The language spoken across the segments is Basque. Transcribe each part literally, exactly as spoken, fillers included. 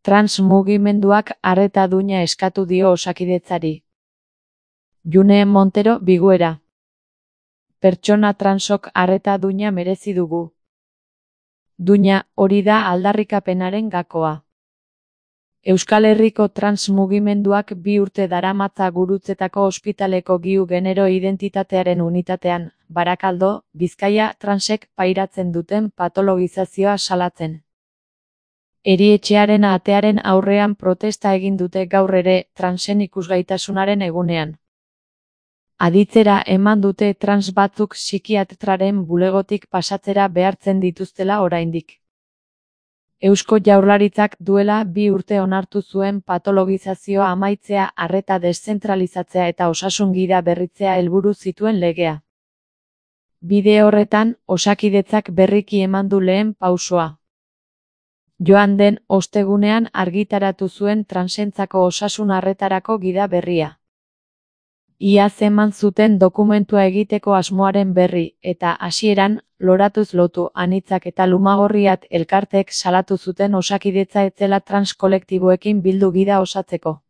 Trans mugimenduak arreta duina eskatu dio Osakidetzari. June Montero Biguera. Pertsona transok arreta duina merezi dugu. Duina, hori da aldarrikapenaren gakoa. Euskal Herriko trans mugimenduak bi urte daramatza Gurutzetako ospitaleko giu genero identitatearen unitatean, Barakaldo, Bizkaia transek pairatzen duten patologizazioa salatzen. Erietxearen atearen aurrean protesta egin dute gaur ere transen ikusgaitasunaren egunean. Aditzera eman dute trans batzuk psikiatraren bulegotik pasatzera behartzen dituztela oraindik. Eusko Jaurlaritzak duela bi urte onartu zuen patologizazioa amaitzea, arreta deszentralizatzea eta osasun gida berritzea helburu zituen legea. Bide horretan, Osakidetzak berriki eman du lehen pausoa. Joan den ostegunean argitaratu zuen transentzako osasun arretarako gida berria. Iaz eman zuten dokumentua egiteko asmoaren berri, eta hasieran, loratuz lotu anitzak eta lumagorriat elkarteek salatu zuten Osakidetza etzela trans kolektiboekin bildu gida osatzeko.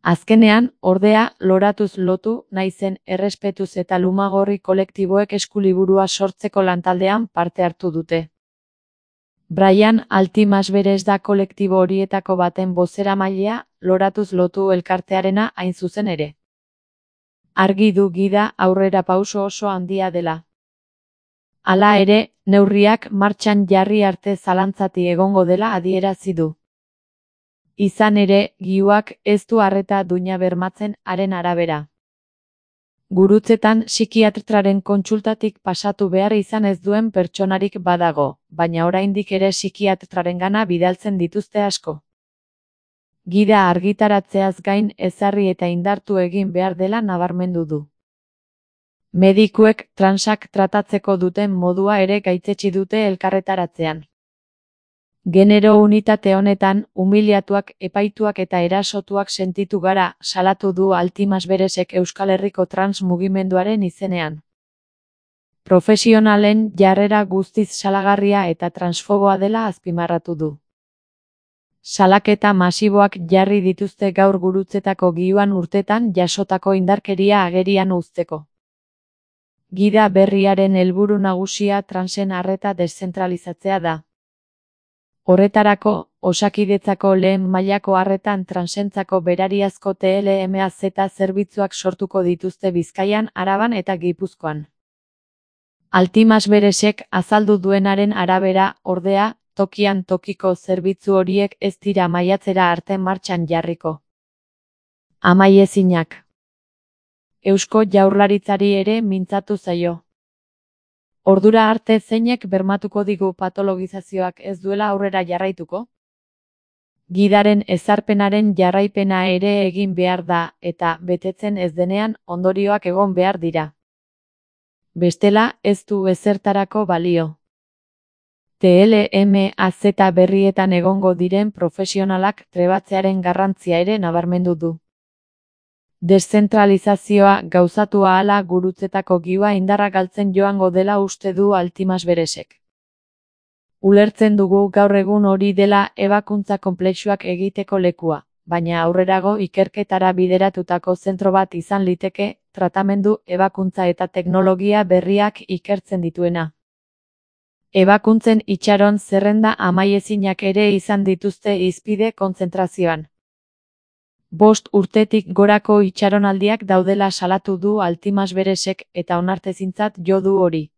Azkenean, ordea, loratuz lotu naizen errespetuz eta lumagorri kolektiboek eskuliburua sortzeko lantaldean parte hartu dute. Brian Altimasberes da kolektibo horietako baten bozeramailea, loratuz lotu elkartearena hain zuzen ere. Argi du gida aurrera pauso oso handia dela. Hala ere, neurriak martxan jarri arte zalantzati egongo dela adierazi du. Izan ere, giuak ez du arreta duina bermatzen haren arabera. Gurutzetan psikiatraren kontsultatik pasatu behar izan ez duen pertsonarik badago, baina oraindik ere psikiatrarengana bidaltzen dituzte asko. Gida argitaratzeaz gain ezarri eta indartu egin behar dela nabarmendu du. Medikuek transak tratatzeko duten modua ere gaitzetsi dute elkarretaratzean. Genero unitate honetan, umiliatuak, epaituak eta erasotuak sentitu gara, salatu du Altimasberesek Euskal Herriko trans mugimenduaren izenean. Profesionalen jarrera guztiz salagarria eta transfoboa dela azpimarratu du. Salaketa masiboak jarri dituzte gaur Gurutzetako giuan urtetan jasotako indarkeria agerian uzteko. Gida berriaren helburu nagusia transen arreta deszentralizatzea da. Horretarako, Osakidetzako lehen mailako arretan transentzako berariazko T L M A Z zerbitzuak sortuko dituzte Bizkaian, Araban eta Gipuzkoan. Altimasberesek azaldu duenaren arabera, ordea, tokian tokiko zerbitzu horiek ez dira maiatzera arte martxan jarriko. Amaiezinak. Eusko Jaurlaritzari ere mintzatu zaio. Ordura arte zeinek bermatuko digu patologizazioak ez duela aurrera jarraituko? Gidaren ezarpenaren jarraipena ere egin behar da, eta betetzen ez denean ondorioak egon behar dira. Bestela ez du ezertarako balio. T L M A Z berrietan egongo diren profesionalak trebatzearen garrantzia ere nabarmendu du. Deszentralizazioa gauzatu ahala Gurutzetako giua indarra galtzen joango dela uste du Altimasberesek. Ulertzen dugu gaur egun hori dela ebakuntza konplexuak egiteko lekua, baina aurrerago ikerketara bideratutako zentro bat izan liteke, tratamendu, ebakuntza eta teknologia berriak ikertzen dituena. Ebakuntzen itxaron zerrenda amaiezinak ere izan dituzte hizpide kontzentrazioan. Bost urtetik gorako itxaronaldiak daudela salatu du Altimasberesek eta onartezintzat jo du hori.